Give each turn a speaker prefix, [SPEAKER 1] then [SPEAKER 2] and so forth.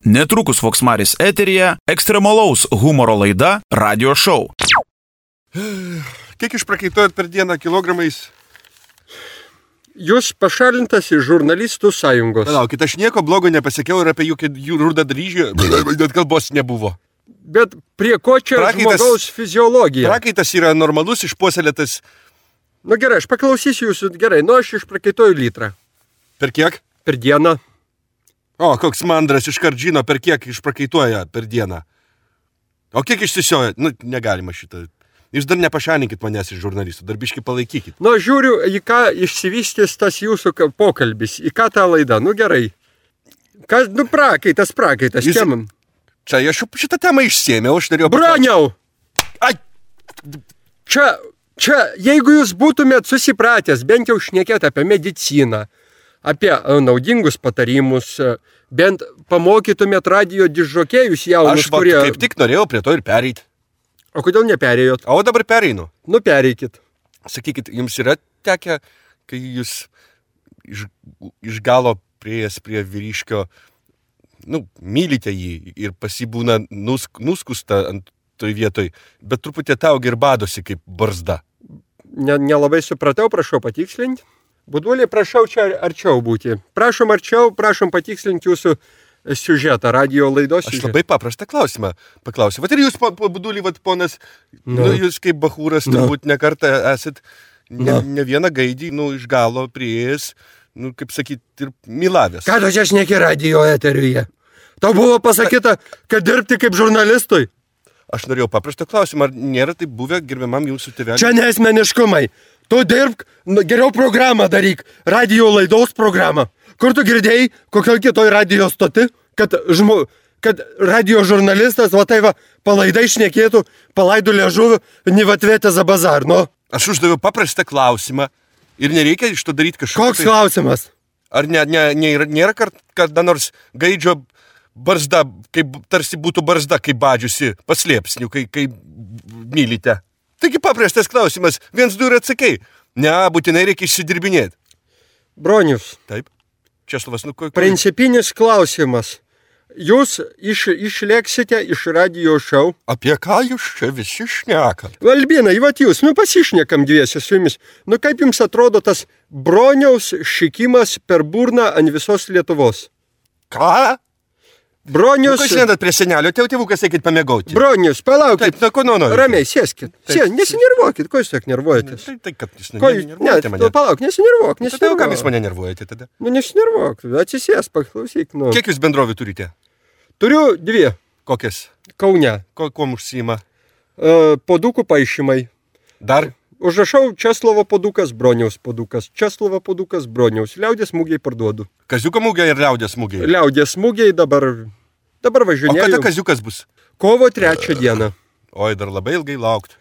[SPEAKER 1] Netrukus Voksmaris eteryje ekstremalaus humoro laida Radio Show.
[SPEAKER 2] Kiek išprakeitojat per dieną kilogramais?
[SPEAKER 3] Jūs pašalintas iš žurnalistų sąjungos.
[SPEAKER 2] Palaukit, aš nieko blogo nepasakiau ir apie jų rudą dryžį, net kalbos nebuvo.
[SPEAKER 3] Bet prie ko čia žmogaus fiziologija?
[SPEAKER 2] Prakaitas yra normalus, išpuoselėtas.
[SPEAKER 3] Nu gerai, aš paklausysiu jūsų, gerai, aš išprakaitoju litrą.
[SPEAKER 2] Per kiek?
[SPEAKER 3] Per dieną.
[SPEAKER 2] O, koks mandras iškart žino, per kiek išprakaituoja per dieną. O kiek išsisioja? Nu, negalima šitą. Jūs dar nepašalinkit manęs iš žurnalistų, dar biškį palaikykit.
[SPEAKER 3] Nu, žiūriu, į ką išsivystys tas jūsų pokalbis, į ką tą laidą, nu gerai. Kas, nu, prakaitas,
[SPEAKER 2] Jūs...
[SPEAKER 3] čia man.
[SPEAKER 2] Čia aš šitą temą išsėmiau, aš norėjau...
[SPEAKER 3] Broniau!
[SPEAKER 2] Ai!
[SPEAKER 3] Čia, jeigu jūs būtumėt susipratęs, bent jau šnekėt apie mediciną, apie naudingus patarimus, bent pamokytumėt radijo dižokėjus jaunus, kurie...
[SPEAKER 2] Aš kaip tik norėjau prie to ir pereit.
[SPEAKER 3] O kodėl neperėjot?
[SPEAKER 2] O dabar pereinu.
[SPEAKER 3] Nu, pereikit.
[SPEAKER 2] Sakykit, jums yra tekę, kai jūs iš galo prieėjęs prie vyriškio, nu, mylite jį ir pasibūna nuskusta ant toj vietoj, bet truputį tau ir badosi kaip barzda.
[SPEAKER 3] Nelabai supratau, prašau patikslinti. Buduoliai, prašau čia arčiau būti. Prašom arčiau, prašom patikslinti jūsų siužetą, radio laidos siužetą.
[SPEAKER 2] Aš labai paprastą klausimą paklausiu. Vat ir jūs, Budulį, ponas, nu, jūs kaip bachūras turbūt ne kartą esat ne vieną gaidį, iš galo prieėjęs, kaip sakyt, ir mylavęs.
[SPEAKER 3] Ką tu čia šneki radio eteriuje? Tau buvo pasakyta, kad dirbti kaip žurnalistui?
[SPEAKER 2] Aš norėjau paprastą klausimą, ar nėra taip buvę gerbiamam jūsų tėveliui?
[SPEAKER 3] Čia nesmeniškumai. Tu dirbk, geriau programą daryk, radio laidos programą. Kur tu girdėjai, kokioj kitoj radio stoti, kad radio žurnalistas, palaidai šnekėtų, palaidų liežuvį, nevatvėtė za bazar, nu?
[SPEAKER 2] Aš uždaviau paprastą klausimą ir nereikia iš to daryti kažką.
[SPEAKER 3] Koks klausimas?
[SPEAKER 2] Ar nėra kada nors gaidžio barzda, kaip tarsi būtų barzda, kaip badžiusi paslėpsnių, kai mylite? Taigi paprastas klausimas, 1, 2 ir atsakai. Ne, būtinai reikia išsidirbinėti.
[SPEAKER 3] Bronius.
[SPEAKER 2] Taip. Česlovas,
[SPEAKER 3] Principinis klausimas. Jūs išleksite iš radio show.
[SPEAKER 2] Apie ką jūs čia visi šnekate?
[SPEAKER 3] Albinai, jūs, pasišnekam dviesi su jumis. Kaip jums atrodo tas Broniaus šikimas per burną ant visos Lietuvos?
[SPEAKER 2] Ką?
[SPEAKER 3] Bronius...
[SPEAKER 2] Kas lendat prie senelio, tėvukas eikit pamėgauti.
[SPEAKER 3] Bronius, palaukit.
[SPEAKER 2] Taip,
[SPEAKER 3] ramiai, sėskit. Nesinervuokit, ko jūs tak nervuojatės?
[SPEAKER 2] Tai kad jūs nervuojate mane.
[SPEAKER 3] Palauk, nesinervuok.
[SPEAKER 2] Tai kam jūs mane nervuojate tada?
[SPEAKER 3] Nesinervuok, atsisės, paklausyk.
[SPEAKER 2] Kiek jūs bendrovių turite?
[SPEAKER 3] Turiu 2.
[SPEAKER 2] Kokias?
[SPEAKER 3] Kaune.
[SPEAKER 2] Kuom užsiima?
[SPEAKER 3] Podukų paišymai.
[SPEAKER 2] Dar?
[SPEAKER 3] Užrašau Česlovo podukas, Broniaus podukas. Česlovo podukas, Broniaus. Liaudės mūgiai parduodu.
[SPEAKER 2] Kaziuko mūgiai ir liaudės mūgiai?
[SPEAKER 3] Liaudės mūgiai dabar važinėjau.
[SPEAKER 2] O kada kaziukas bus?
[SPEAKER 3] Kovo 3 dieną.
[SPEAKER 2] Oi, dar labai ilgai laukti.